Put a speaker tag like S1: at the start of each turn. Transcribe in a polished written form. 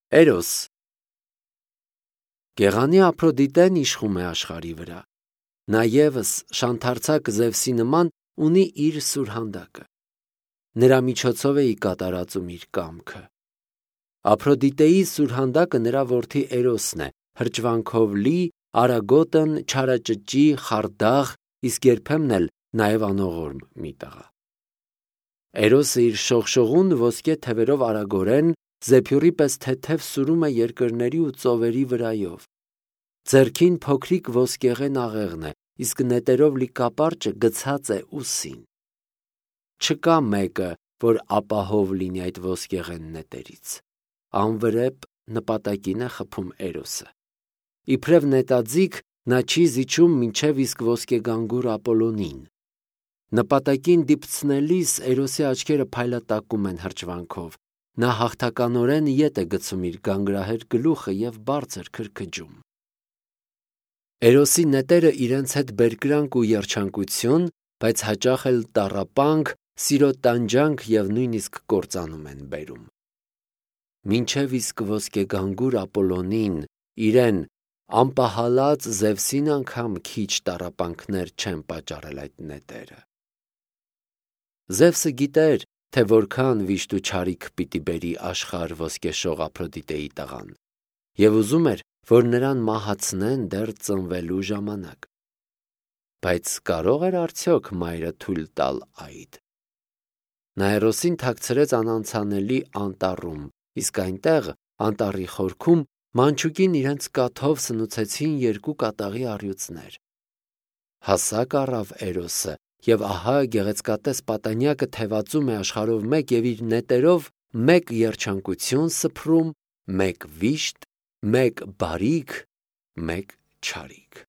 S1: Էրոս Գեղանի Ափրոդիտեն իշխում է աշխարհի վրա։ Նա ևս շանթարցակ Զևսի նման ունի իր սուրհանդակը։ Նրա միջոցով է կատարածում իր կամքը։ Ափրոդիտեի սուրհանդակը նրա որդի Էրոսն է, հրճվանքով լի, արագոտն, չարաճճի, խարդախ, իսկ երբեմն էլ նաև անողորմ մի տղա։ Էրոսը իր շողշողուն ոսկե թևերով արագորեն, զեփյուռի պես թեթև սուրում է երկրների ու ծովերի վրայով։ Ձեռքին փոքրիկ ոսկեղեն աղեղն է, իսկ նետերով լի կապարճը գցած է ուսին։ Չկա մեկը, որ ապահով լինի այդ ոսկեղեն նետերից։ Անվրեպ նպատակին է խփում Էրոսը։ Իբրև նետաձիգ նա չի զիջում մինչև իսկ ոսկեգանգուր Ապոլոնին։ Նպատակին դիպցնելիս Էրոսի աչքերը փայլատակում են հրճվանքով։ Նա հաղթականորեն ետ է գցում իր գանգրահեր գլուխը և բարձր քրքջում։ Էրոսի նետերը իրենց հետ բերկրանք ու երջանկություն, բայց հաճախ էլ տառապանք, սիրո տանջանք և նույնիսկ կործանում են բերում։ Մինչև իսկ ոսկեգանգուր Ապոլոնին, իրեն անպահալած Զևսին անգամ քիչ տառապանքներ չեն պատճառել այդ նետերը։ Զևսը գիտեր, թե որքան վիշտ ու չարիք պիտի բերի աշխարհ ոսկեշող Ափրոդիտեի տղան, և ուզում էր, որ նրան մահացնեն դեռ ծնվելու ժամանակ։ Բայց կարո՞ղ էր արդյոք մայրը թույլ տալ այդ։ Նա Էրոսին թաքցրեց անանցանելի անտառում, իսկ այնտեղ, անտառի խորքում, մանչուկին իրենց կաթով սնուցեցին երկու կատաղի առյուծներ։ Հասակ առավ Էրոսը, և ահա գեղեցկատես պատանյակը թևածում է աշխարհով մեկ և իր նետերով մեկ երջանկություն սփռում, մեկ վիշտ, մեկ բարիք, մեկ չարիք։